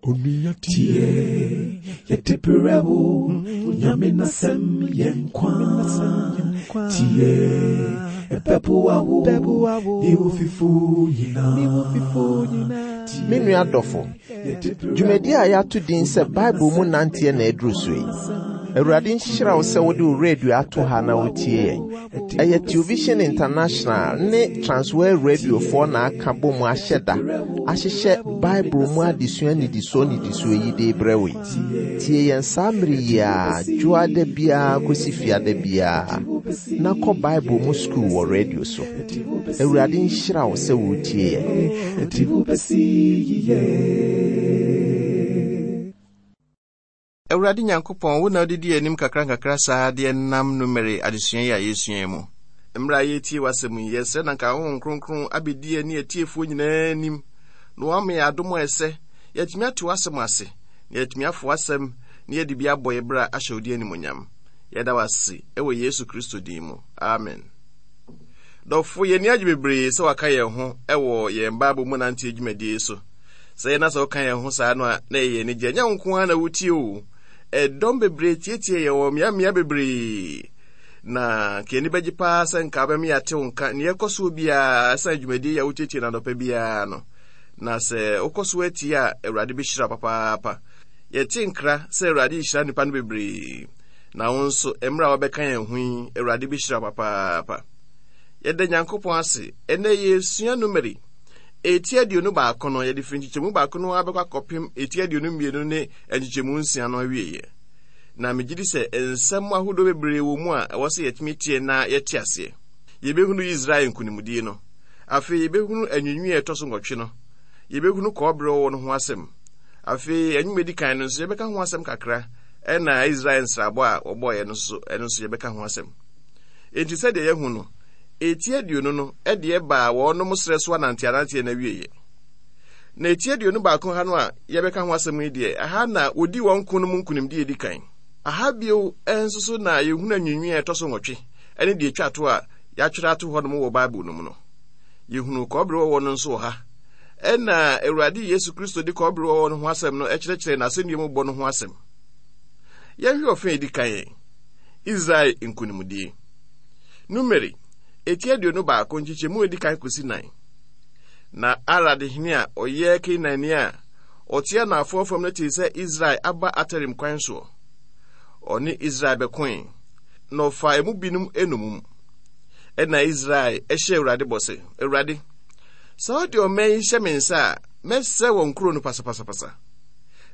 Onua tie, yɛde brɛ wo, Nyame n'asɛm yɛ nkwa. Tie, ɛbɛboa wo, ne wo fifo nyinaa. Me nua dɔfo, dwumadi a yɛato din sɛ Bible mu nanteɛ na aduru so yi. Awurade nhyira wo sɛ wode wo radio ato ha na wotie yɛn. Ɛyɛ Television International ne Transworld Radiofoɔ na aka bɔ mu ahyɛ da ahyehyɛ Bible mu adesua nnidisoɔ nnidisoɔ yi de rebrɛ wo yi. Tie yɛn saa mmere yi ara, dwoada biara kɔsi fiada biara, na kɔ Bible mu sukuu wɔ radio so. Awurade nhyira wo sɛ woretie yɛn. Ɛde wo bɛsi yiye. Awurade Nyankopɔn, wo na wode di anim nkakrankakra saa de nam Numeri adesua yi a yɛresua yi mu. Mmerɛ a yɛretie w'asɛm yi, yɛsrɛ na nka Honhom Kronkron abɛdi yɛn ne atiefoɔ nyinaa anim, na wama yɛn adom a ɛsɛ, yɛatumi ate w'asɛm ase, na yɛatumi afa w'asɛm na yɛde bi abɔ yɛn bra ahyɛ wo din animuonyam. Yɛda wo ase wɔ Yesu Kristo din mu. Amen. Dɔfo, yɛn ani agye bebree sɛ waka yɛn ho wɔ yɛn Bible mu nanteɛ dwumadie yi so. Sɛ yɛn na sɛ woka yɛn ho saa no a, na ɛyɛ anigye. Ɛnyɛ wo nko ara na wotie o. Ɛdɔm bebree tietie yɛn wɔ mmeammea bebree. Na nka ani bɛgye paa sɛ nka wobɛma yɛate wo nka nea ɛkɔ soɔ biara ɛsiane dwumadie yi a wotietie no anɔpa biara no. Na sɛ wokɔ so atie a, Awurade bɛhyira wo papaapa. Yɛte nkra sɛ Awurade rehyira nnipa no bebree. Na wo nso, mmerɛ a wobɛka yɛn ho yi, Awurade bɛhyira wo papaapa. Yɛda Nyankopɔn ase. Ɛnnɛ yɛresua Numeri. Eti 21 no, yɛde firi nkyekyɛmu baako no ara bɛkɔ akɔpem eti 22 ne nkyekyɛmu nsia no awieeɛ. Na megye di sɛ nsɛm ahodoɔ bebree wɔ mu a ɛwɔ sɛ yɛtumi tie na yɛte aseɛ. Yɛbɛhunu Israel nkonimdie no. Afei yɛbɛhunu anwiinwii a ɛtɔ so nwɔtwe no. Yɛbɛhunu kɔbere ɔwɔ no ho asɛm. Afei anwum edi kan no nso yɛbɛka ho asɛm kakra, ɛna Israel nsrabɔ a wɔbɔeɛ no nso, ɛno nso yɛbɛka ho asɛm. Enti sɛdeɛ yɛahu no, Eti 20 no deɛ baa wɔnom serɛ so ananteananteɛ no awieɛ. Na eti 21 ha no a yɛbɛka ho asɛm yi deɛ, ɛha na wɔdi wɔn ko no mu nkonimdie di kan. Aha bio nso so na yɛhunu anwiinwii a ɛtɔ so nwɔtwe ne deɛ ɛtwa to a yɛatwerɛ ato hɔnom wɔ Bible no mu no. Yɛhunu kɔbere wɔwɔ no nso wɔ ha. Ɛna Awurade Yesu Kristo de kɔbere wɔwɔ no ho asɛm no kyerɛkyerɛ n'asɛnnua mu bɔ no ho asɛm. Yɛnhwɛ ɔfã a ɛdi kan, Israel nkonimdie. Numeri, eti 21, nkyekyɛmu a edi kan kosi nan. Na Arad hene a ɔyɛ Kanaanni a ɔte anaafoɔ fam no tee sɛ Israel aba Atarim kwan soɔ. Ɔne Israel bɛkoe, na ɔfaa emu binom nnommum. Ɛnna Israel hyɛɛ Awurade bɔ sɛ, Awurade, sɛ wode ɔman yi hyɛ me nsa a, mɛsɛe wɔn nkuro no pasapasapasa.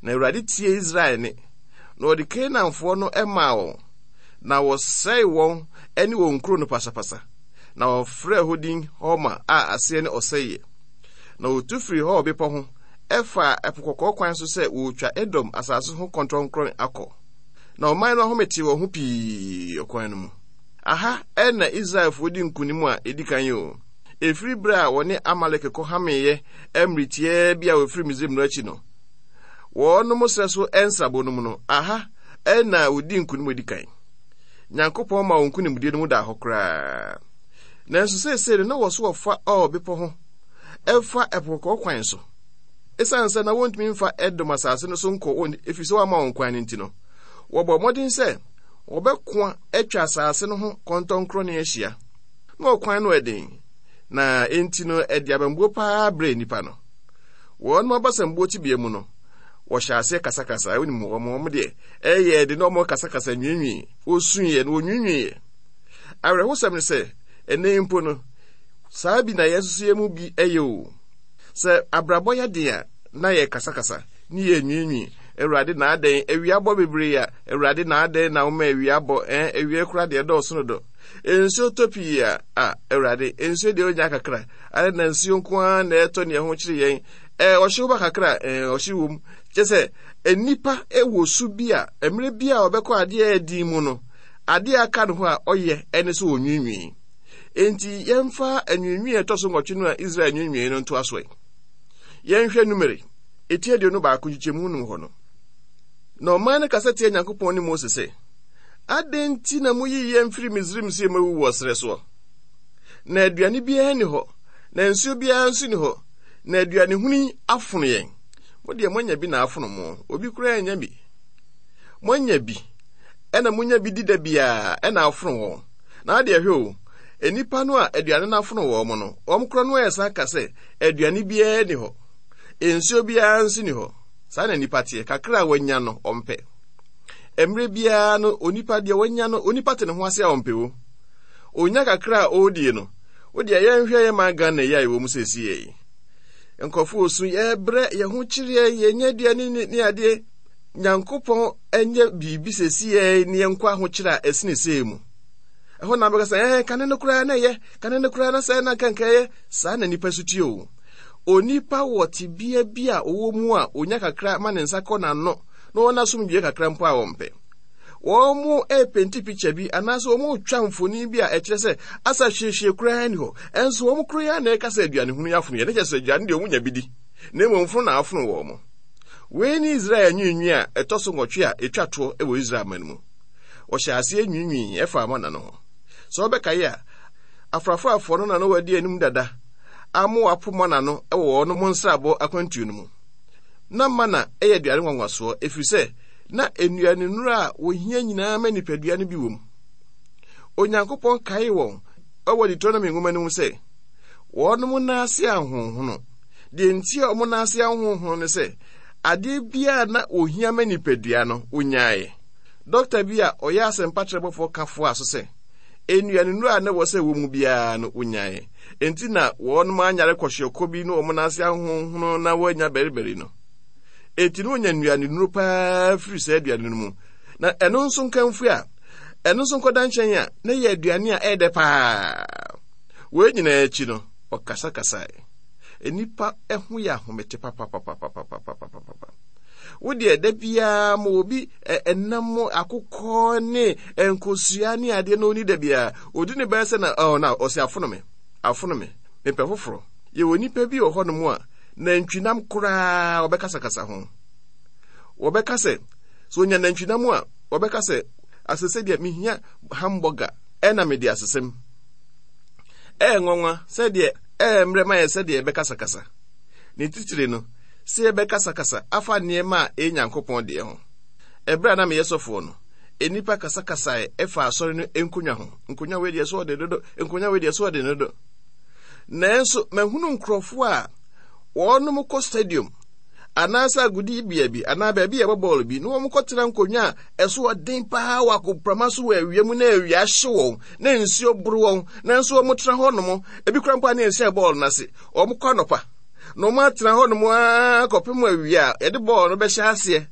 Na Awurade tiee Israel nne, na ɔde Kanaanfoɔ no maa wɔn. na wɔsɛee wɔn ne wɔn nkuro no pasapasa, na wɔfrɛɛ hɔ din Horma a aseɛ ne ɔsɛeɛ. Na wɔtu firii Hor bepɔ ho faa Ɛpo Kɔkɔɔ kwan so sɛ wɔretwa Edom asase ho kɔntɔnkrɔn akɔ. Na ɔman no ahome tee wɔn ho pii ɔkwan no mu. Aha na Israelfoɔ di nkonim a ɛdi kan yi o. Ɛfiri berɛ a wɔne Amalek kɔhameeɛ mmere tiaa bi a wɔfiri Misraim no akyi no, wɔnom serɛ so nsrabɔ no mu no, aha na wɔdii nkonim a ɛdi kan. Nyankopɔn ma wɔn nkonimdie no mu daa hɔ koraa. Nanso seesei no, na wɔ so wɔfa Or bepɔ ho ɛfa Ɛpo Kɔkɔɔ kwan so. Esiane sɛ na wɔntumi mfa Edom asase no so nkɔ wɔn ɛfiri sɛ wɔama wɔn kwan no nti no, wɔbɔɔ mmɔden sɛ wɔbɛkoa atwa asase no ho kɔntɔnkrɔne ahyia. Na ɔkwan no ɛden, na enti no ɛde abambuo paa brɛɛ nnipa no. Wɔn abasambuo tebea mu no, wɔhyɛ aseɛ kasakasa. Wonim wɔn, wɔn deɛ ɛyɛ de na wɔn kasakasa nwiinwii. Wɔsuiɛ na wɔnwiinwiiɛ. Awerɛhosɛm ne sɛ, ɛnnɛ yi mpo no, saa bi na yɛn nso yɛn mu bi yɛ o. Sɛ abrabɔ yɛ den a, na yɛkasakasa ne yɛnwiinwii. Awurade na adɛn awia bɔ bebree a, Awurade na adɛn na woma awia bɔ, ɛn awia kora deɛ ɛdɔɔso no dɔ. Nsuo tɔ pii a, a Awurade, nsuo deɛ onya kakra, adɛn na nsuo nko ara na ɛtɔ ne ɛho kyere yɛn. Ɛɛ ɔhyew ba kakra, ɛɛ ɔhyew wom. Kyɛ sɛ nnipa wɔ su bi a mmerɛ bi a ɔbɛkɔ adeɛ a ɛdin mu no, adeɛ a aka ne ho a ɔyɛ ɛne sɛ ɔnwiinwii. Enti yɛmfa anwiinwii a ɛtɔ so nwɔtwe no a Israel nwiinwii no ntoa so ɛ. Yɛnhwɛ Numeri, eti 21 nkyekyɛmu num hɔ no. Na ɔman no kasa tia Nyankopɔn ne Mose sɛ, Adɛn nti na moyii yɛn firi Misraim sɛ yɛmmɛwu wɔ serɛ soɔ? Na aduane biara nni hɔ, na nsuo biara nso nni hɔ, na aduane hunu yi afono yɛn. Mo deɛ moanya bi na afono mo. Obi koraa anya bi. Moanya bi. Ɛna monya bi di da biara ɛna afono wɔn. Na adeɛ hwɛ o, nnipa no a aduane no afono wɔn no, wɔn korɔ no ɛsan ka sɛ aduane biara ni hɔ. Nsuo biara nso ni hɔ. Saa na nnipa teɛ. Kakra a wanya no, ɔmpɛ. Mmerɛ biara no, onipa deɛ wanya no, onipa te ne ho ase a ɔmpɛ o. Onya kakra a ɔredie no, wo deɛ yɛnhwɛ yɛ man Ghana yi a yɛwɔ mu seesei yi. Nkurɔfo osu, yɛbrɛ, yɛn ho kyereɛ, yɛnyɛ aduane ne, ne adeɛ. Nyankopɔn nyɛ biribi seesei ne yɛnkɔ ahokyerɛ a ɛsene sei mu. Ɛhɔ na bɛka sɛ, ɛɛ, kane no koraa na ɛyɛ, kane no koraa na sɛ na nka ɛyɛ. Saa na nipa su tie o. Onipa wɔ tebea bi a ɔwɔ mu a onya kakra ma ne nsa kɔ n'ano na ɔwɔ n'asomdwoeɛ kakra mpo a ɔmpɛ. Wɔn repenti pikya bi anaasɛ wɔn retwa mfoni bi a ɛkyerɛ sɛ asa hwiehwie koraa ni hɔ. Ɛnso wɔn koro yi ara na ɛka sɛ aduane hunu yi afono yɛn. Ne kyerɛ sɛ aduane deɛ wɔn nya bi di, na mmom fono na afono wɔn. Wei ne Israel anwiinwii a ɛtɔ so nwɔtwe a ɛtwa toɔ wɔ Israel man mu. Wɔhyɛ aseɛ nwiinwii ɛfa mana no ho. Sɛ wɔbɛkae a, afrafrafoɔ no na na wɔadi anim dada ama wɔapo mana no wɔ wɔn nsrabɔ akwantuo no mu. Na mana yɛ aduane nwanwasoɔ ɛfiri sɛ na nnuanennuru a wɔhia nyinaa ma nipadua no bi wom. Onyankopɔn kaee wɔn wɔ Deuteronomy nwoma no mu sɛ, wɔnom nan ase ahonhono. Deɛ nti a wɔn nan ase ahonhono ne sɛ, adeɛ biara na wɔhia ma nipadua no, wɔnyaeɛ. Dɔkta bi a ɔyɛ asɛmpatrɛbɔfoɔ ka foaa so sɛ, nnuanennuru a na ɛwɔ sɛ ɛwɔ mu biara no, wɔnyaeɛ. Enti na wɔnom anyare kɔhyeɛkɔ bi ne wɔn nan ase ahonhono na wɔanya baribari no. Enti na onya nnuanennuro paa firi saa aduane no mu. Na ɛno nso nkamfue a, ɛno nso nkɔda nkyɛn a, na ɛyɛ aduane a ɛyɛ dɛ paa. Wei nyinaa akyi no, ɔkasakasae. Nnipa ho yɛ ahomete papapapapapapapapa. Wo deɛ da biara ma obi ɛnam akokɔ ne nkosua ne adeɛ na ɔni da biara. Ɔdi ne bɛyɛ sɛ na ɔɔ na ɔsi afono me, afono me, mepɛ foforɔ. Yɛwɔ nnipa bi wɔ hɔnom a nantwinam koraa wɔbɛkasakasa ho. Wɔbɛka sɛ, sɛ onya nantwinam a, wɔbɛka sɛ, asese deɛ mehia hamburger ɛna mede asesem. Ɛyɛ nwanwa sɛdeɛ ɛyɛ mmerɛ ma yɛ sɛdeɛ yɛbɛkasakasa. Ne titire no, sɛ yɛbɛkasakasa afa nneɛma a ɛyɛ Nyankopɔn deɛ ho. Ɛberɛ a na meyɛ sɔfoɔ no, nnipa kasakasae ɛfa asɔre no nkonnwa ho. Nkonnwa wei deɛ so ɔde dodo, nkonnwa wei deɛ so ɔde dodo. Nanso mahunu nkurɔfoɔ a wɔnom kɔ stadium anaasɛ agodibea bi anaa baabi a yɛbɔ bɔɔl bi na wɔkɔtena nkonnwa a ɛso ɔden paa wɔ agoprama so wɔ awia mu na awia ahye wɔn na nsuo boro wɔn nanso wɔtena hɔ nom ebi kora mpo a ne nhyɛ bɔɔl no ase wɔkɔ anɔpa na wɔatena hɔ nom ara kɔpem awia a yɛde bɔɔl no bɛhyɛ aseɛ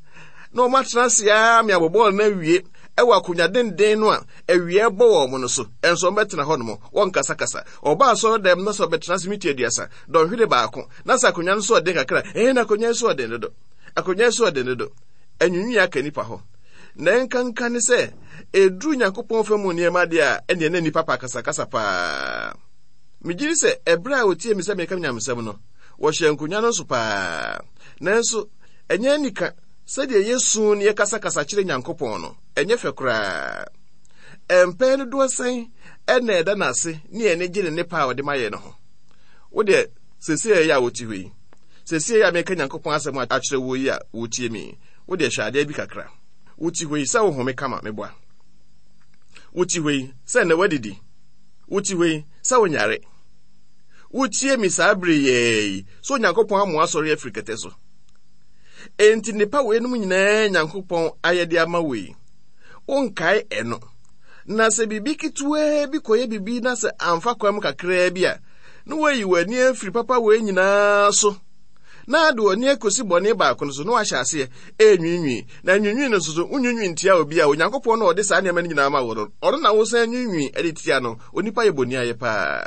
na wɔatena ase ara me abɔ bɔɔl no awie ɛwɔ akonnwa denden no a awia bɔ wɔn no so ɛnso wɔbɛtena hɔ nom wɔnkasakasa Ɔba asɔrɔdɛm na sɛ ɔbɛtena ase mita 30, dɔnhwere baako, na sɛ akonnwa no so ɔden kakra, ɛɛ na akonnwa yi so ɔden dodo. Akonnwa yi so ɔden dodo. Anwiinwii aka nnipa hɔ. Na ɛnkanka ne sɛ, ɛduru Nyankopɔn fa mu nneɛma deɛ a, ɛnneɛ na nnipa pa akasakasa paa. Megye di sɛ ɛberɛ a wɔtiee me sɛ mereka nyamesɛm no, wɔhyɛɛ nkonnwa no nso paa. Nanso, ɛnyɛ anika sɛdeɛ yɛsu na yɛkasakasa kyerɛ Nyankopɔn no, ɛnyɛ fɛ koraa. Mpɛn dodoɔ sɛn na ɛda no ase ne yɛn ani gye ne nnepa a ɔde ma yɛn no ho? Wo deɛ, seesei ɛyɛ a wote hɔ yi, seesei a meka Nyankopɔn asɛm akyerɛ wo yi a wotie me yi, wo deɛ hwɛ adeɛ bi kakra. Wote hɔ yi sɛ wohome kama, meboa. Wote hɔ yi sɛ nnɛ woadidi. Wote hɔ yi sɛ wonyare. Wotie me saa bere yɛɛ yi sɛ Onyankopɔn amoa asɔre afiri kɛtɛ so. Enti nnepa weinom nyinaa Nyankopɔn ayɛde ama wo yi, wonkae ɛno. Na sɛ biribi ketewaa bi kɔyɛ biribi na sɛ amfa kwan mu kakraa bi a, na woayi w'ani afiri papa wei nyinaa so na ade w'ani akosi bɔne baako no so na wahyɛ aseɛ ɛrenwiinwii. Na nwiinwii no nso so, wonwiinwii ntia obi a Onyankopɔn na ɔde saa nneɛma no nyinaa ma wo no, ɔno na wosan nwiinwii de tia no. Onipa yɛ boniayɛ paa.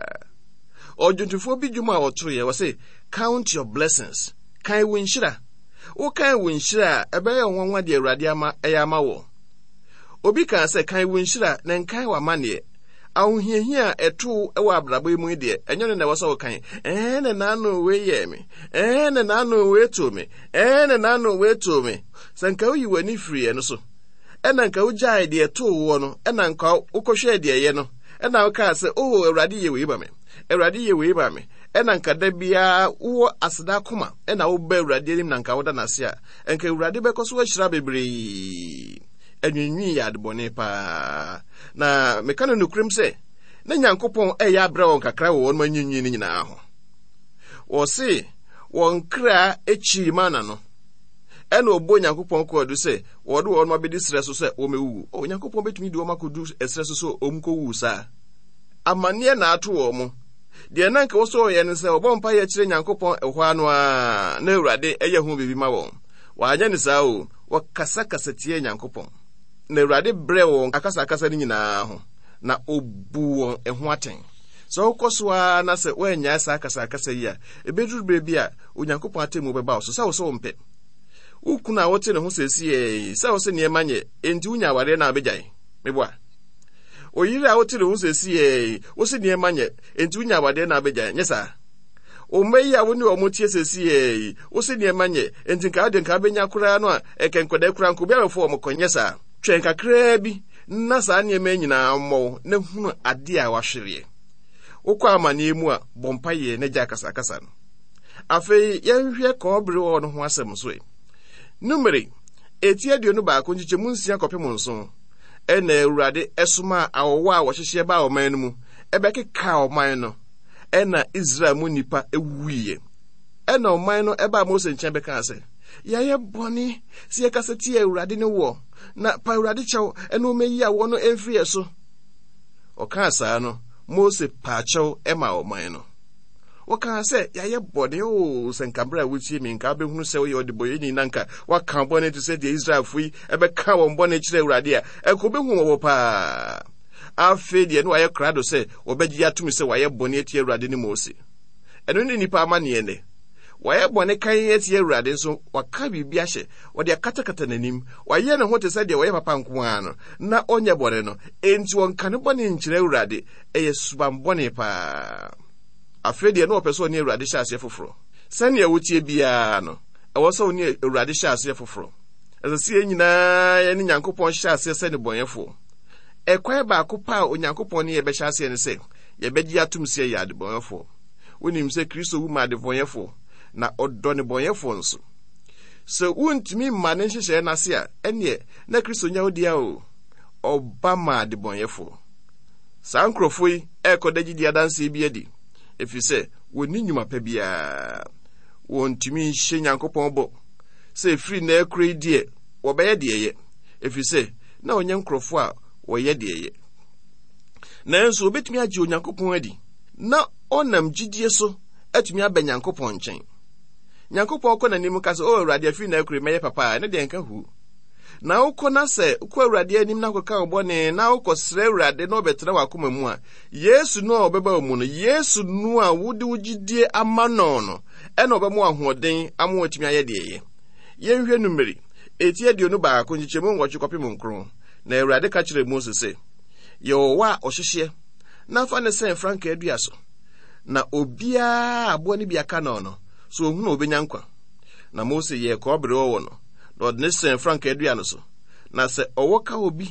Ɔdwontofoɔ bi dwom a ɔtoeɛ, ɔse, Count your blessings. Kan wo nhyira. Wokan wo nhyira a, ɛbɛyɛ wo nwanwa deɛ Awurade ama ɛyɛ ama wɔ. Obi kaa sɛ, Kan wo nhyira, na nkan w'amanneɛ. Ahohiahia a ɛto wo wɔ abrabɔ yi mu yi deɛ, ɛnyɛ no na ɛwɔ sɛ wokan. Ɛɛ na n'ano wei yɛɛ me. Ɛɛ na n'ano wei too me. Ɛɛ na n'ano wei too me. Sɛ nka woyi w'ani firi ɛno so, ɛna nka wogyae deɛ ɛtoo woɔ no, ɛna nka wokɔhwɛɛ deɛ ɛyɛ no, ɛna wokaa sɛ, Oh, Awurade yɛ wei ma me. Awurade yɛ wei ma me. Ɛna nka da biara wowɔ aseda akoma ɛna woba Awurade anim na nka woda no ase a, nka Awurade bɛkɔ so ahyira bebree. Anwiinwii yɛ adebɔne paa. Na meka no nokorɛm sɛ, na Nyankopɔn ɛyɛ abrɛ wɔn kakra wɔ wɔn anwiinwii no nyinaa ho. Wɔse wɔn kra kyiri mana no. Ɛna ɔbɔ Nyankopɔn kɔɔdu sɛ wɔde wɔn abɛdi serɛ so sɛ wɔmɛwuwu. O, Nyankopɔn bɛtumi de wɔn akɔdu ɛserɛ so sɛ wɔnkɔwu saa. Amanneɛ na ato wɔn mo. Deɛ na nka wɔsɔ wɔyɛ no sɛ wɔbɔ mpaeɛ kyerɛ Nyankopɔn ɛhɔ ano ara na Awurade ɛyɛ ho biribi ma wɔn. Wɔanyɛ no saa o, wɔkasakasa tiaa Nyankopɔn. Na Awurade brɛɛ wɔn akasakasa no nyinaa ho, na ɔbuu wɔn ɛho atɛn. Sɛ wokɔ so ara na sɛ woannyae saa akasakasa yi a, ɛbɛduru berɛ bi a Onyankopɔn atemmuo bɛba wo so sɛ wo sɛ wompɛ. Wo kunu a wote ne ho seesei yi, sɛ wo se nneɛma nyɛ, enti wonya awareɛ na wobɛgyae. Meboa. Wo yere a wote ne ho seesei yi, wo se nneɛma nyɛ, enti wonya awareɛ na wobɛgyae. Nyɛ saa. Wo mma yi a wo ne wɔn teɛ seesei yi, wo se nneɛma nyɛ, enti nka wode nka wobɛnya koraa no a, ɛkɛ nkwadaa koraa nka obi abɛfo wɔn kɔ. Nyɛ saa. Twɛn kakraa bi na saa nneɛma yi nyinaa mmɔ wo na hunu adeɛ a wahwereɛ. Wokɔ amanneɛ mu a, bɔ mpaeɛ na gyae akasakasa no. Afei yɛnhwɛ kɔbere wɔ no ho asɛm nso ɛ. Numere, eti 21 nkyekyɛmu 6 kɔpem 7, ɛna Awurade ɛsomaa awɔwɔ a wɔhyehyeɛ baa ɔman no mu, ɛbɛkekaa ɔman no, ɛna Israel mu nnipa wuiɛ. Ɛna ɔman no ɛbaa Mose nkyɛn bɛkaa sɛ, Yɛayɛ bɔne sɛ yɛkasa tia Awurade ne woɔ, na pa Awurade kyɛw ɛna ɔmɛyi awɔ no ɛmfiri yɛ so. Ɔkaa saa no, Mose paa kyɛw ɛmaa ɔman no. Wɔkaa sɛ, Yɛayɛ bɔne. Oo, sɛ nka berɛ a wotie me, nka wobɛhunu sɛ woyɛ ɔdebɔyɛni na nka woaka bɔne te sɛ deɛ Israelfoɔ yi ɛbɛka wɔn bɔne kyerɛ Awurade a, ɛnka wobɛhu wɔn paa. Afei deɛ na wɔayɛ krado sɛ wɔbɛgye atom sɛ wɔayɛ bɔne atia Awurade ne Mose. Ɛno ne nnipa amanneɛ nnɛ. Wɔayɛ bɔne kann atia Awurade nso waka biribi ahyɛ, wɔde akatakata n'anim. Wayɛ ne ho te sɛ deɛ ɔyɛ papa nko ara no, na ɔnyɛ bɔne no. Enti wɔnka ne bɔne nkyerɛ Awurade. Ɛyɛ suban bɔne paa. Afei deɛ na ɔpɛ sɛ ɔne Awurade hyɛ aseɛ foforɔ. Sɛnea wotie biara no, ɛwɔ sɛ ɔne Awurade hyɛ aseɛ foforɔ. Ɛsɛ sɛ yɛn nyinaa yɛne Nyankopɔn hyɛ aseɛ sɛ nnebɔneyɛfoɔ. Ɛkwan baako pɛ a Onyankopɔn ne yɛn bɛhyɛ aseɛ ne sɛ yɛbɛgye atom sɛ yɛyɛ adebɔneyɛfoɔ. Wonim sɛ Kristo wu maa adebɔneyɛfoɔ, na ɔdɔ nnebɔneyɛfoɔ nso. Sɛ wontumi mma ne nhyehyɛeɛ no ase a, ɛnneɛ na Kristo nyɛ wo dea o. Ɔba maa adebɔneyɛfoɔ. Saa nkurɔfoɔ yi rekɔda gyidie adanseɛ bi adi, ɛfiri sɛ wɔnni nnwuma pa biara. Wɔntumi nhyɛ Nyankopɔn bɔ sɛ ɛfiri nnɛ rekora yi deɛ wɔbɛyɛ deɛ ɛyɛ, ɛfiri sɛ na wɔnyɛ nkurɔfoɔ a wɔyɛ deɛ ɛyɛ. Nanso wɔbɛtumi agye Onyankopɔn adi na ɔnam gyidie so atumi aba Nyankopɔn nkyɛn. Nyankopɔn kɔ n'anim ka sɛ, O Awurade, afiri nnɛ rekora yi mɛyɛ papa a, ɛno deɛ nka huu. Na wokɔ na sɛ wokɔ Awurade anim na wokɔka wo bɔne na wokɔsrɛ Awurade na ɔbɛtena w'akoma mu a, Yesu no a ɔbɛba wo mu no, Yesu no a wode wo gyidie ama no no, ɛna ɔbɛma wo ahoɔden ama woatumi ayɛ deɛ ɛyɛ. Yɛnhwɛ Numeri, eti 21 nkyekyɛmu 8 kɔpem 9. Na Awurade ka kyerɛɛ Mose sɛ, Yɛ ɔwɔ a ɔhyehyeɛ na fa no sɛn frankaa dua so, na obiara a aboa no bi aka no no, sɛ ɔhunu a ɔbɛnya nkwa. Na Mose yɛɛ kɔbere ɔwɔ no, na ɔde no sɛn frankaa dua no so. Na sɛ ɔwɔ ka obi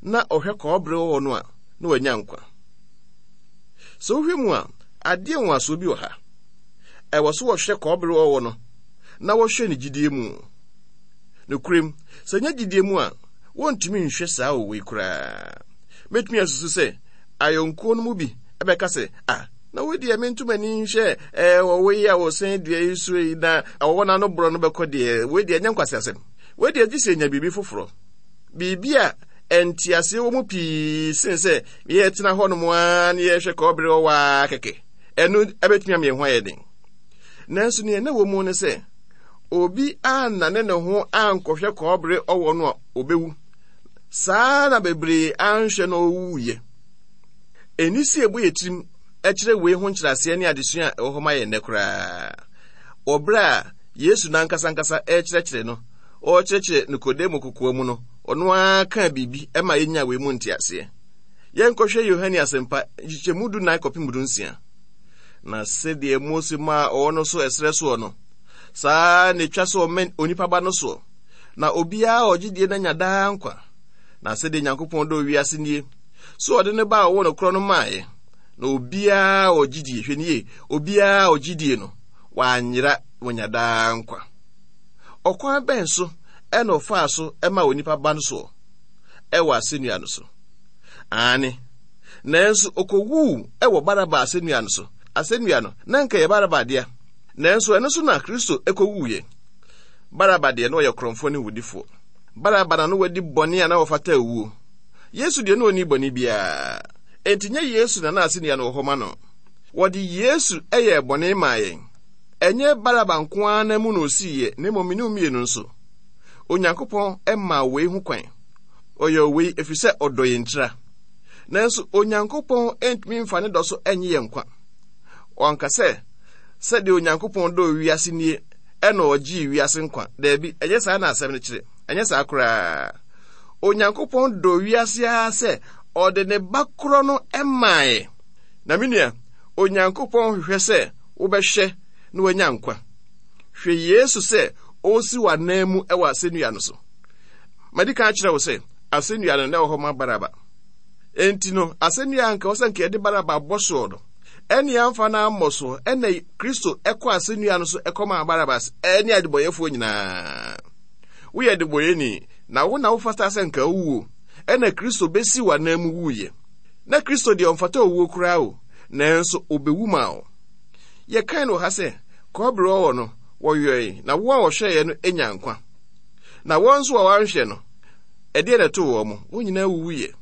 na ɔhwɛ kɔbere ɔwɔ no a, na wanya nkwa. Sɛ wohwɛ mu a, adeɛ nwanwasoɔ bi wɔ ha. Ɛwɔ so wɔhwɛ kɔbere ɔwɔ no na wɔhwɛ ne gyidie mu. Nokorɛm, sɛ nyɛ gyidie mu a, wɔntumi nhwɛ saa ɔwɔ yi koraa. Mɛtumi asusu sɛ ayɔnkoɔ no mu bi bɛka sɛ, ah, na wo deɛ mento m'ani nhwɛ ɛɛ ɔwɔ yi a wɔsɛn dua yi so yi na ɔwɔ no ano borɔ no bɛkɔ deɛ, wei deɛ ɛnyɛ nkwaseasɛm. Wei deɛ gye sɛ nya biribi foforɔ. Biribi a nteaseɛ wɔ mu pii sen sɛ yɛtena hɔnom ara na yɛhwɛ kɔbere ɔwɔ ara kɛkɛ. Ɛno ɛbɛtumi ama yɛn ho ayɛ den. Nanso nea na ɛwɔ mu ne sɛ, obi annane ne ho ankɔhwɛ kɔbere ɔwɔ no a, obewu. Saa na bebree anhwɛ na ɔwuiɛ. Ɛnni sɛ yɛbɔ yɛn tirim kyerɛ wei ho nkyerɛaseɛ ne adesua a ɛwɔ hɔ ma yɛn nnɛ koraa. Wɔ berɛ a Yesu n'ankasa ankasa rekyerɛkyerɛ no, ɔrekyerɛkyerɛ Nikodemo kokoa mu no, ɔno ara kaa biribi ma yɛnyaa wei mu nteaseɛ. Yɛnkɔhwɛ Yohane Asɛmpa nkyekyɛmu dunan kɔpem dunsia. Na sɛdeɛ Mose maa ɔwɔ no so ɛserɛ soɔ no, saa ara na ɛtwa sɛ ɔma onipa ba no soɔ, na obiara a ɔgye die no anya daa nkwa. Na sɛdeɛ Nyankopɔn dɔɔ wiase nie, sɛ ɔde ne ba a ɔwɔ no korɔ no maeɛ, Na obiara a ɔgye die, hwɛ nie, obiara a ɔgye die no, wanyera, wanya daa nkwa. Ɔkwan bɛn so ɛna ɔfaa so ɛma onipa ba no soɔ ɛwɔ asɛnnua no so? Aane, nanso ɔkɔwuu ɛwɔ Baraba asɛnnua no so. Asɛnnua no, na nka ɛyɛ Baraba dea, nanso ɛno so na Kristo ɛkɔwuiɛ. Baraba deɛ, na ɔyɛ korɔmfoɔ ne wodifoɔ. Baraba na no wadi bɔne a na ɔfata awuo. Yesu deɛ, na ɔnni bɔne biara. Enti nyɛ Yesu na na asɛnnua no wɔ hɔ ma no. Wɔde Yesu yɛɛ bɔne maa yɛn. Ɛnyɛ Baraba nko ara nan mu na osiiɛ, na mmom me ne wo mmienu nso. Onyankopɔn maa wei ho kwan. Ɔyɛɛ wei ɛfiri sɛ ɔdɔ yɛn ntira. Nanso Onyankopɔn ntumi mfa ne dɔ so nnye yɛn nkwa. Wanka sɛ, sɛdeɛ Onyankopɔn dɔɔ wiase nie, ɛna ɔgyee wiase nkwa. Daabi, ɛnyɛ saa na asɛm no kyerɛ. Ɛnyɛ saa koraa. Onyankopɔn dɔ wiase ara sɛ ɔde ne ba korɔ no maeɛ. Na me nua, Onyankopɔn hwehwɛ sɛ wobɛhwɛ na wanya nkwa. Hwɛ Yesu sɛ ɔresi w'anan mu wɔ asɛnnua no so. Madi kan akyerɛ wo sɛ asɛnnua no na ɛwɔ hɔ ma Baraba. Enti no, asɛnnua a anka ɛwɔ sɛ anka yɛde Baraba bɔ soɔ no, ɛne amfa no ammɔ soɔ, ɛna Kristo ɛkɔ asɛnnua no so ɛkɔmaa Barabas ɛne adebɔyɛfoɔ nyinaa. Woyɛ adebɔyɛni, na wo na wofata sɛ nka wowuo, ɛna Kristo bɛsi w'anan mu wuiɛ. Na Kristo deɛ ɔmfata owuo koraa o, nanso ɔbɛwu maa wo. Yɛkan no wɔ ha sɛ, kɔbere ɔwɔ no, wɔyɔe, na wɔn a wɔhwɛeɛ no nya nkwa. Na wɔn nso a wɔanhwɛ no, ɛdeɛ na ɛtoo wɔn, wɔn nyinaa wuwuiɛ.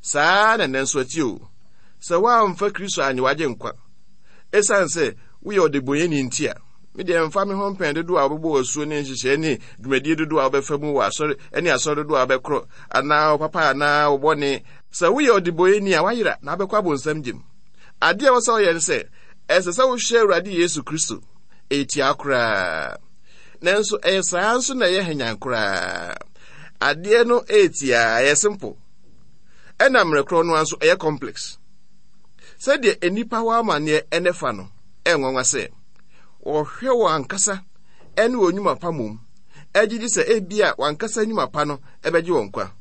Saa na ɛnnɛ nso ɛteɛ o. Sɛ woamfa Kristo annye w'agyenkwa, ɛsiane sɛ woyɛ ɔdebɔnyɛni nti a, me deɛ mfa me ho mpɛn dodoɔ a wobɛbɔ w'asuo ne nhyehyɛɛ ne dwumadie dodoɔ a wobɛfa mu wɔ asɔre ne asɔre dodoɔ a wobɛkorɔ anaa wo papa anaa wo bɔne. Sɛ woyɛ ɔdebɔnyɛni a, woayera na wobɛkɔ abonsam gyem. Adeɛ a ɛwɔ sɛ woyɛ ne sɛ, ɛsɛ sɛ wohwɛ Awurade Yesu Kristo. Ɛyɛ tiaa koraa. Nanso ɛyɛ saa nso na ɛyɛ hanyan koraa. Adeɛ no ɛyɛ tiaa, ɛyɛ simple. Ɛna mmerɛ korɔ no ara nso ɛyɛ complex. Sɛdeɛ nnipa wɔ amanneɛ ɛnɛ fa no, ɛyɛ nwanwa sɛ wɔhwɛ wɔn ankasa ɛne wɔn nnwuma pa mmom, ɛgye di sɛ ebia wɔn ankasa nnwuma pa no ɛbɛgye wɔn nkwa.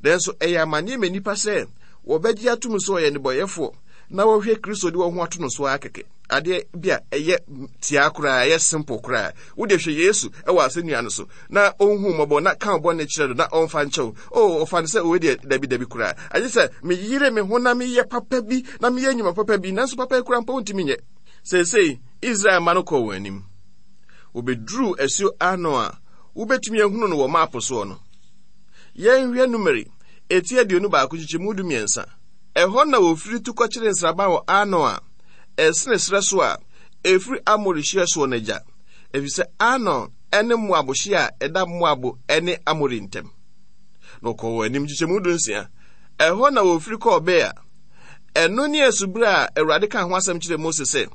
Nanso ɛyɛ amanneɛ ma nnipa sɛ wɔbɛgye atom sɛ wɔyɛ nnebɔneyɛfoɔ na wɔhwɛ Kristo de wɔn ho ato no so ara kɛkɛ. Adeɛ bi a ɛyɛ tiaa koraa, ɛyɛ simple koraa. Wo deɛ hwɛ Yesu wɔ asɛnnua no so na ɔnhu mmɔbɔ na ka bɔne kyerɛ no na ɔmfa nkyɛ wo. Oh, ɔfa no sɛ wei deɛ dabi dabi koraa. Agye sɛ meyere me ho na meyɛ papa bi na meyɛ nnwuma papa bi, nanso papa yi koraa mpo wontumi nyɛ. Seesei Israel mma no kɔɔ wɔn anim. Wɔbɛduruu asuo Arnon a wobɛtumi ahunu no wɔ maapo soɔ no. Yɛnhwɛ Numeri eti 21 nkyekyɛmu 13. Ɛhɔ na wɔfiri tu kɔkyeree nsraban wɔ Arnon a ɛsene serɛ so a ɛfiri Amori hyeɛ soɔ no agya, ɛfiri sɛ Arnon ne Moab hyeɛ a ɛda Moab ne Amori ntam. Na wɔkɔɔ wɔn anim nkyekyɛmu 16. Ɛhɔ na wɔfiri kɔɔ Beer. Ɛno ne asubura a Awurade kaa ho asɛm kyerɛɛ Mose sɛ,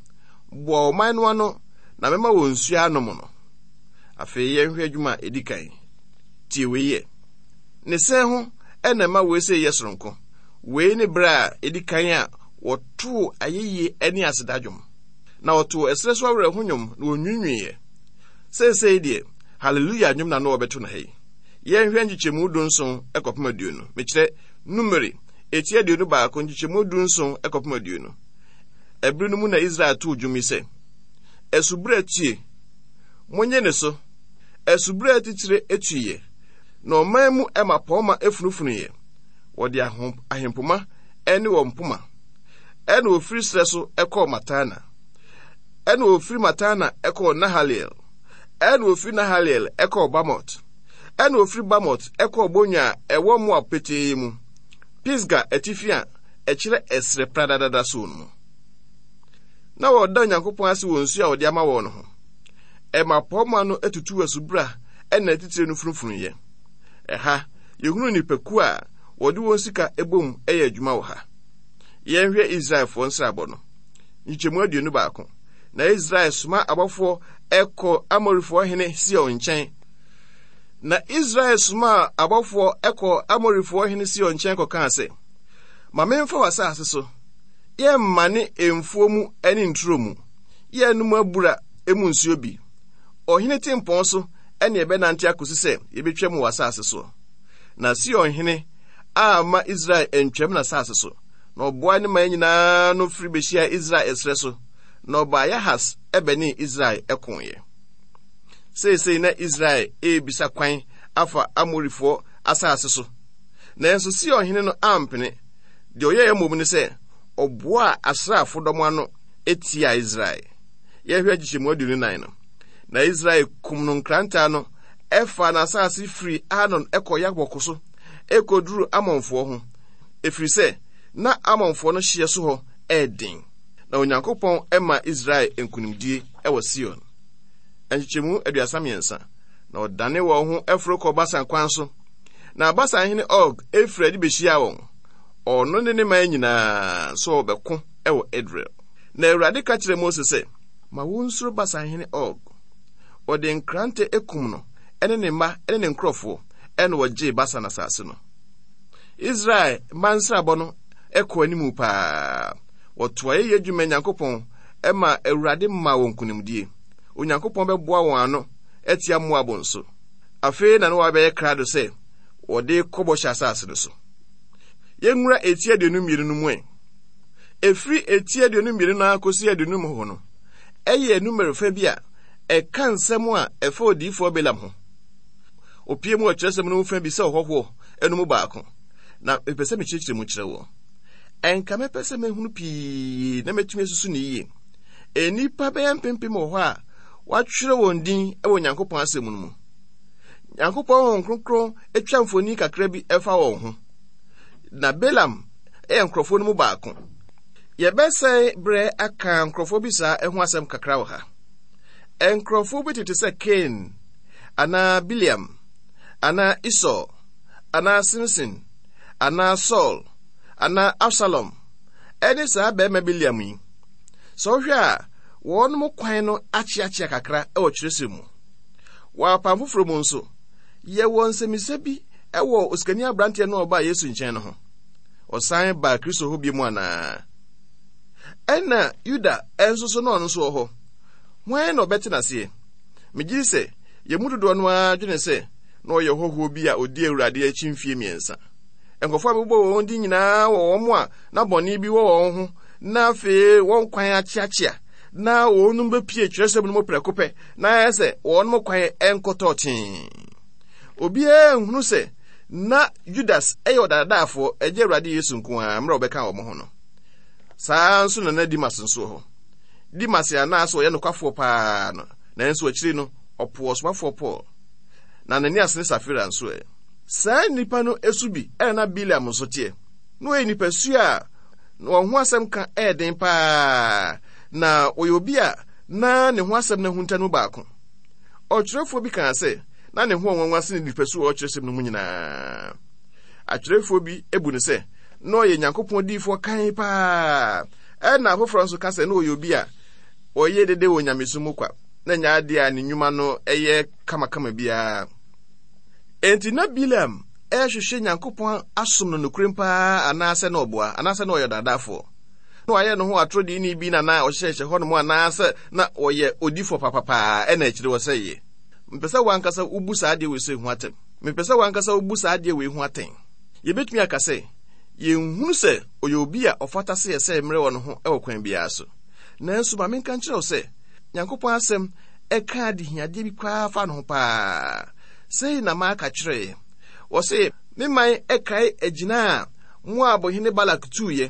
Boa ɔman no ano na mɛma wɔn nsuo anom no. Afei yɛnhwɛ adwuma a ɛdi kan. Tie wei yɛ. Ne sɛn ho na ɛma wei sɛ yɛ soronko. Wei ne berɛ a ɛdi kan a wɔtoo ayɛyie ne aseda dwom. Na wɔtoo ɛserɛ so awerɛho nnwom na wɔnwiinwiiɛ. Seesei deɛ, Hallelujah nnwom na na wɔbɛto no ha yi. Yɛnhwɛ nkyekyɛmu 17 kɔpem 20. Mekyerɛ, Numeri, eti 21, nkyekyɛmu 17 kɔpem 20. Ɛbere no mu na Israel too dwom yi sɛ, Asubura tue, monnye ne so. Asubura atitire tuiɛ, na ɔman mu mmapɔmma funufunuiɛ. Wɔde ahempoma ne wɔn mpoma. Ɛna wɔfiri serɛ so kɔɔ Matana. Ɛna wɔfiri Matana kɔɔ Nahaliel. Ɛna wɔfiri Nahaliel kɔɔ Bamot. Ɛna wɔfiri Bamot kɔɔ bonwa a ɛwɔ Moab petee mu, Pisga atifi a ɛkyerɛ ɛserɛ pradadada soɔ no mu. Na wɔda Onyankopɔn ase wɔ nsuo a ɔde ama wɔn no ho. Mmapɔmma no tutuu asubura na atitire no funufunuiɛ. Ɛha, yɛhunu nnipakuo a wɔde wɔn sika bom yɛ adwuma wɔ ha. Yɛnhwɛ Israelfoɔ nsrabɔ no. Nkyekyɛmu 21. Na Israel soma abɔfoɔ kɔ Amorifoɔ hene Sion nkyɛn. Na Israel somaa abɔfoɔ kɔ Amorifoɔ hene Sion nkyɛn kɔkaa sɛ, Ma memfa w'asase so, yɛmmane mfuo mu ne nturo mu, yɛnnom abura mu nsuo bi. Ɔhene tempɔn so ne yɛbɛnante akɔsi sɛ yɛbɛtwam wɔ asase soɔ. Na Sion hene amma Israel antwam n'asase so, Na ɔboaa ne man nyinaa ano firi bɛhyiaa Israel ɛserɛ so, na ɔbaa Yahas bɛnee Israel koeɛ. Seesei na Israel rebisa kwan afa Amorifoɔ asase so. Nanso Sion hene no ampene. Deɛ ɔyɛeɛ mmom ne sɛ, ɔboaa asraafo dɔm ano tiaa Israel. Yɛhwɛ nkyekyɛmu 24 no. Na Israel kum no nkrantɛ ano, ɛfaa n'asase firi Arnon kɔ Yabok so kɔduruu Amonfoɔ ho, ɛfiri sɛ na Amonfoɔ no hyeɛ so hɔ yɛ den. Na Onyankopɔn maa Israel nkonimdie wɔ Sion. Nkyekyɛmu 33. Na ɔdane wɔn ho foro kɔɔ Basan kwan so. Na Basan hene Og firi adi bɛhyiaa wɔn, ɔno ne ne man nyinaa, sɛ wɔbɛko wɔ Edrei. Na Awurade ka kyerɛɛ Mose sɛ, Ma wonsuro Basan hene Og. Wɔde nkrante kum no ne ne mma ne ne nkurɔfoɔ, ɛna wɔgyee Basan asase no. Israel mma nsrabɔ no kɔɔ anim paa. Wɔtoa yɛyɛ adwuma Nyankopɔn ma Awurade maa wɔn nkonimdie. Onyankopɔn bɛboa wɔn ano atia Moab nso. Afei na na wɔabɛyɛ krado sɛ wɔde kɔ bɔhyɛ asase no so. Yɛnwura eti 22 no mu ɛ. Ɛfiri eti 22 no ara kɔsi 50 hɔ no, ɛyɛ numero fa bi a ɛka nsɛm a ɛfa odiyifoɔ Balaam ho. Opie mu wɔ kyerɛsɛm no mu fa bi sɛ ɔhɔhoɔ no mu baako, na mepɛ sɛ mekyerɛkyerɛ mu kyerɛ woɔ. Ɛnka mɛpɛ sɛ mɛhunu pii na mɛtumi asusu no yie. Nnipa bɛyɛ mpempem wɔ hɔ a wɔatwerɛ wɔn din wɔ Nyankopɔn asɛm no mu. Nyankopɔn Honhom Kronkron atwa mfoni kakra bi ɛfa wɔn ho. Na Balaam yɛ nkurɔfoɔ no mu baako. Yɛbɛsɛe berɛ aka nkurɔfoɔ bi saa ho asɛm kakra wɔ ha. Nkurɔfoɔ bi tete sɛ Kain anaa Bileam anaa Esau anaa Simson anaa Saul anaa Absalom ɛne saa bɛrima Bileam yi. Sɛ wohwɛ a, wɔn kwan no akyeakyea kakra wɔ kyerɛsɛm mu. Wɔ apam foforɔ mu nso, yɛwɔ nsɛmmisa bi wɔ osikani aberanteɛ no a ɔbaa Yesu nkyɛn no ho. Ɔsan baa Kristo hɔ bio mu anaa? Ɛna Yuda nso so na ɔno nso wɔ hɔ. Hwan na ɔbɛte n'aseɛ? Megye di sɛ yɛn mu dodoɔ no ara dwene sɛ na ɔyɛ hɔhoɔ bi a ɔdi Awurade akyi mfeɛ mmiɛnsa. Nkurɔfoɔ a mebobɔ wɔn din nyinaa wɔ wɔn a na bɔne bi wɔ wɔn ho na afei wɔn kwan akyeakyea na wɔnom bɛpie twerɛsɛm no mu prɛko pɛ na ayɛ sɛ wɔnom kwan nkɔtɔɔ tee. Obiara nhunu sɛ na Judas yɛ ɔdaadaafoɔ, ɛgye Awurade Yesu nko ara mmerɛ ɔbɛka wɔn ho no. Saa ara nso na na Dimas nso wɔ hɔ. Dimas a na asɛ ɔyɛ nokwafoɔ paa no, nanso akyiri no, ɔpoo ɔsomafoɔ Paul. Na Ananias ne Safira nso ɛ? Saa nnipa no su bi na na Bileam nso teɛ. Na ɔyɛ nipasu a wɔn ho asɛm ka yɛ den paa, na ɔyɛ obi a na ne ho asɛm no ahunta no mu baako. Ɔtwerɛfoɔ bi kaa sɛ na ne ho ɔnwanwa sene nipasu a ɔkyerɛsɛm no mu nyinaa. Atwerɛfoɔ bi bu no sɛ na ɔyɛ Nyankopɔn diyifoɔ kann paa, ɛna afoforɔ nso ka sɛ na ɔyɛ obi a ɔyɛ dede wɔ nyamesom mu kwa, na nyɛ adeɛ a ne nnwuma no yɛ kamakama biara. Enti na Bileam rehwehwɛ Nyankopɔn asom no nokorɛm paa anaasɛ na ɔboa, anaasɛ na ɔyɛ ɔdaadaafoɔ? Na wayɛ ne ho atoro diini bi na na ɔhyehyɛhyɛ hɔnom anaasɛ na ɔyɛ odifoɔ papapaa ɛna akyire ɔsɛeɛ? Mepɛ sɛ w'ankasa wobu saa adeɛ wei sei ho atɛm. Mepɛ sɛ w'ankasa wobu saa adeɛ wei ho atɛn. Yɛbɛtumi aka sɛ, yɛnhunu sɛ ɔyɛ obi a ɔfata sɛ yɛsɛe mmerɛ wɔ ne ho wɔ kwan biara so. Nanso ma menka nkyerɛ wo sɛ, Nyankopɔn asɛm ɛka adehiadeɛ bi koraa fa ne ho paa. Sei na Maka kyerɛeɛ. Ɔse, Me man kae agyina a Moab hene Balak tuiɛ,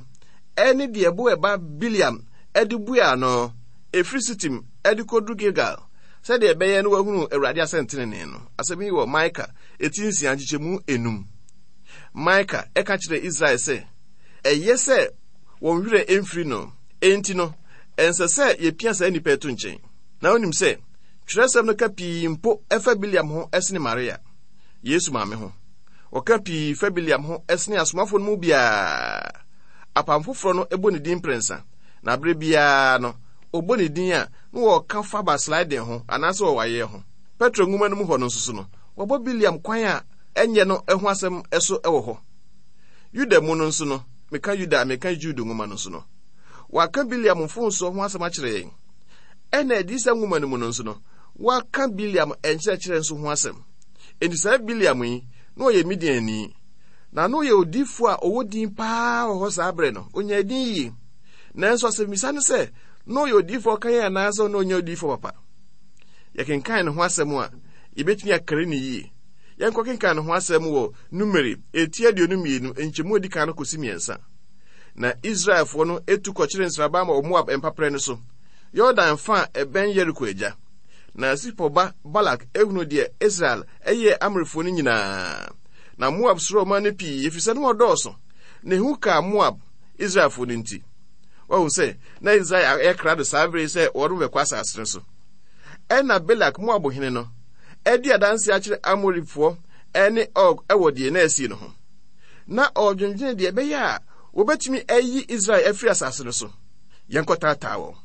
ɛne deɛ Beor ba Bileam de buaa no, ɛfiri Sitim de kɔduru Gilgal, sɛdeɛ ɛbɛyɛ na wɔahunu Awurade asɛntenenee no. Asɛm yi wɔ Mika eti nsia nkyekyɛmu enum. Mika ka kyerɛɛ Israel sɛ, ɛyɛ sɛ wɔn werɛ mfiri no. Enti no, ɛnsɛ sɛ yɛpia saa nnipa yi to nkyɛn. Na wonim sɛ twerɛsɛm no ka pii mpo fa Bileam ho sene Maria, Yesu maame ho. Wɔka pii fa Bileam ho sene asomafo no mu biara. Apam foforɔ no bɔ ne din mprɛnsa, na berɛ biara no, wɔbɔ ne din a, na wɔka fa basliding ho anaasɛ ɔwaeɛ ho. Petro nwoma no mu hɔ no nso so no, wɔbɔ Bileam kwan a ɛnyɛ no ho asɛm so wɔ hɔ. Yuda mu no nso no, meka Yuda a meka Jude nwoma no nso no, wɔaka Bileam mfomsoɔ ho asɛm akyerɛ yɛn. Ɛna Adiyisɛm nwoma no mu no nso no, wɔaka Bileam nkyerɛkyerɛ nso ho asɛm. Enti saa Bileam yi, na ɔyɛ Midianni. Na na ɔyɛ odiyifoɔ a ɔwɔ din paa wɔ hɔ saa berɛ no. Ɔnyaa din yie. Nanso asɛmmisa ne sɛ, na ɔyɛ odiyifoɔ kann anaasɛ na ɔnyɛ odiyifoɔ papa? Yɛkenkan ne ho asɛm a, yɛbɛtumi akari no yie. Yɛnkɔkenkan ne ho asɛm wɔ Numeri eti 22, nkyɛmu a ɛdi kan no kɔsi mmiɛnsa. Na Israelfoɔ no tu kɔkyere nsraban wɔ Moab mpaperɛ no so, Yordan fa a ɛbɛn Yeriko agya. Na Sipor ba Balak hunu deɛ Israel yɛɛ Amorifoɔ no nyinaa. Na Moab suroo ɔman no pii, ɛfiri sɛ na wɔdɔɔso, na ehu kaa Moab, Israelfoɔ no nti. Wahu sɛ na Israel ayɛ krado saa bere yi sɛ wɔn bɛkɔ asase no so. Ɛnna Balak, Moab hene no, adi adanse akyerɛ Amorifoɔ ne Og wɔ deɛ na asie no ho. Na ɔredwendwene deɛ ɛbɛyɛ a wɔbɛtumi ayi Israel afiri asase no so. Yɛnkɔtaataa wɔn.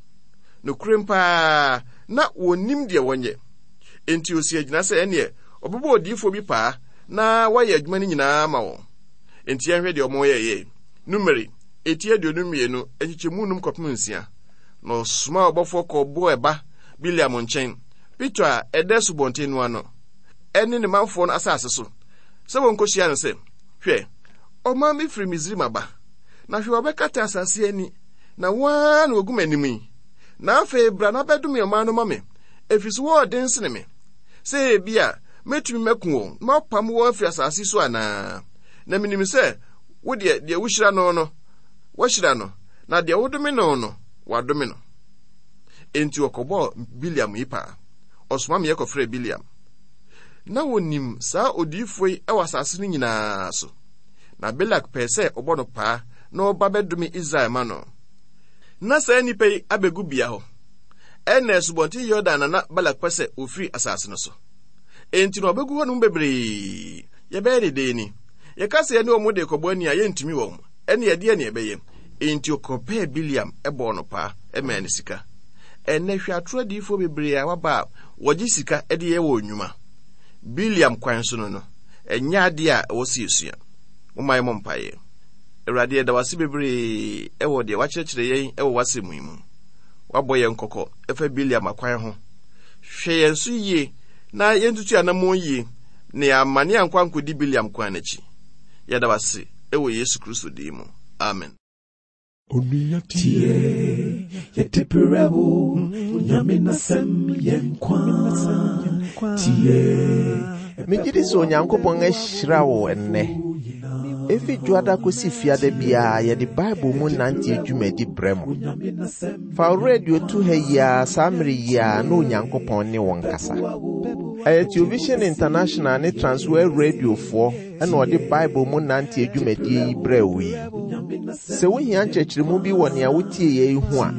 Nokorɛm paa, na wɔnnim deɛ wɔnyɛ. Enti ɔsi agyina sɛ ɛneɛ ɔbɛbɔ odiyifoɔ bi paa na wayɛ adwuma no nyinaa ama wɔn. Enti yɛnhwɛ deɛ wɔyɛeɛ. Numeri, eti 22, nkyekyɛmu num kɔpem nsia. Na ɔsomaa ɔbɔfoɔ kɔɔ Beor ba Bileam nkyɛn, Petor a ɛda asubɔnten no ano, ne ne manfoɔ no asase so, sɛ wɔnkɔhyia no sɛ, Hwɛ, ɔman bi firi Misraim aba, na hwɛ wɔabɛkata asase ani, na wɔn ara na wɔgu m'anim yi. Na afei bra na bɛdome ɔman no ma me, ɛfiri sɛ wɔyɛ den sene me. Sɛ ebia mɛtumi maku wɔn na mapam wɔn afiri asase so anaa. Na menim sɛ wo deɛ, deɛ wohyira no no, woahyira no, na deɛ wodome no no, wɔadome no. Enti wɔkɔbɔɔ Bileam yi paa. Ɔsoma meɛ kɔfrɛɛ Bileam. Na wɔnim saa odiyifoɔ yi wɔ asase no nyinaa so. Na Balak pɛɛ sɛ ɔbɔ no paa na ɔba bɛdome Israel ma no. Na saa nnipa yi abɛgu bea hɔ. Ɛnna Asubɔnten Yordan na na Balak pɛ sɛ wɔfiri asase no so. Enti na wɔbɛgu hɔnom bebree. Yɛbɛyɛ ne dɛn ni? Yɛka sɛ yɛne wɔn de rekɔbɔ ani a, yɛntumi wɔn. Ɛnne ɛdeɛn na yɛbɛyɛ? Enti ɔkɔpɛɛ Bileam bɔɔ no paa maa no sika. Ɛnnɛ, hwɛ atoro adiyifoɔ bebree a wɔaba a wɔgye sika de yɛ wɔn nnwuma. Bileam kwan so no no, ɛnyɛ adeɛ a ɛwɔ sɛ yɛsua. Momma yɛmmɔ mpaeɛ. Awurade, yɛda wo ase bebree wɔ deɛ woakyerɛkyerɛ yɛn wɔ w'asɛm yi mu. Woabɔ yɛn kɔkɔ ɛfa Bileam akwan ho. Hwɛ yɛn so yie na yɛntutu anammɔn yie na yɛammane ankɔ ankɔdi Bileam kwan no akyi. Yɛda wo ase wɔ Yesu Kristo din mu. Amen. Onua tie, yɛde brɛ wo, Onyame n'asɛm yɛ nkwa. Tie. Megye di sɛ Onyankopɔn ahyira wo ɛnnɛ. Efi Dwoada kosi Fiada biara yɛde Bible mu nante dwumadi brɛ mo. Fa wo radio to ha yi ara saa mmere yi ara na Onyankopɔn ne wo nkasa. Ɛyɛ Television International ne Transworld Radiofoɔ na ɔde Bible mu nante dwumadie yi brɛɛ wo yi. Sɛ wohia nkyerɛkyerɛmu bi wɔ nea wotieeɛ yi ho a,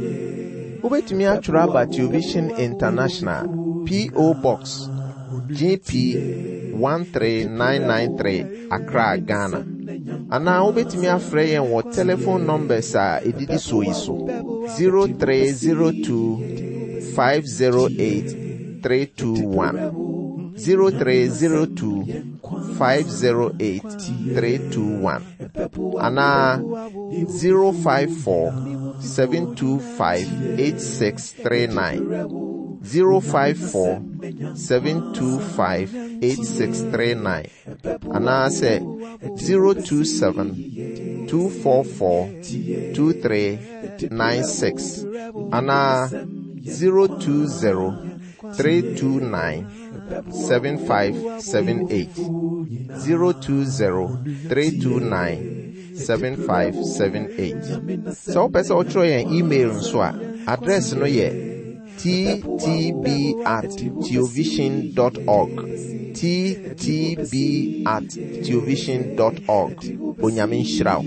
wobɛtumi atwerɛ aba Television International, P.O. Box, GP 13993, Accra, Ghana. Anaa wobɛtumi afrɛ yɛn wɔ telephone numbers a ɛdidi soɔ yi so 0302 508 321 0302 508 321 anaa 054 725 8639 054 725 8639 anaasɛ 027 244 2396 anaa 020 329 7578 020 329 7578. Sɛ wopɛ sɛ wotwerɛ yɛn email nso a, address no yɛ ttb at theovision dot org. ttb at theovision dot org. Onyame nhyira wo.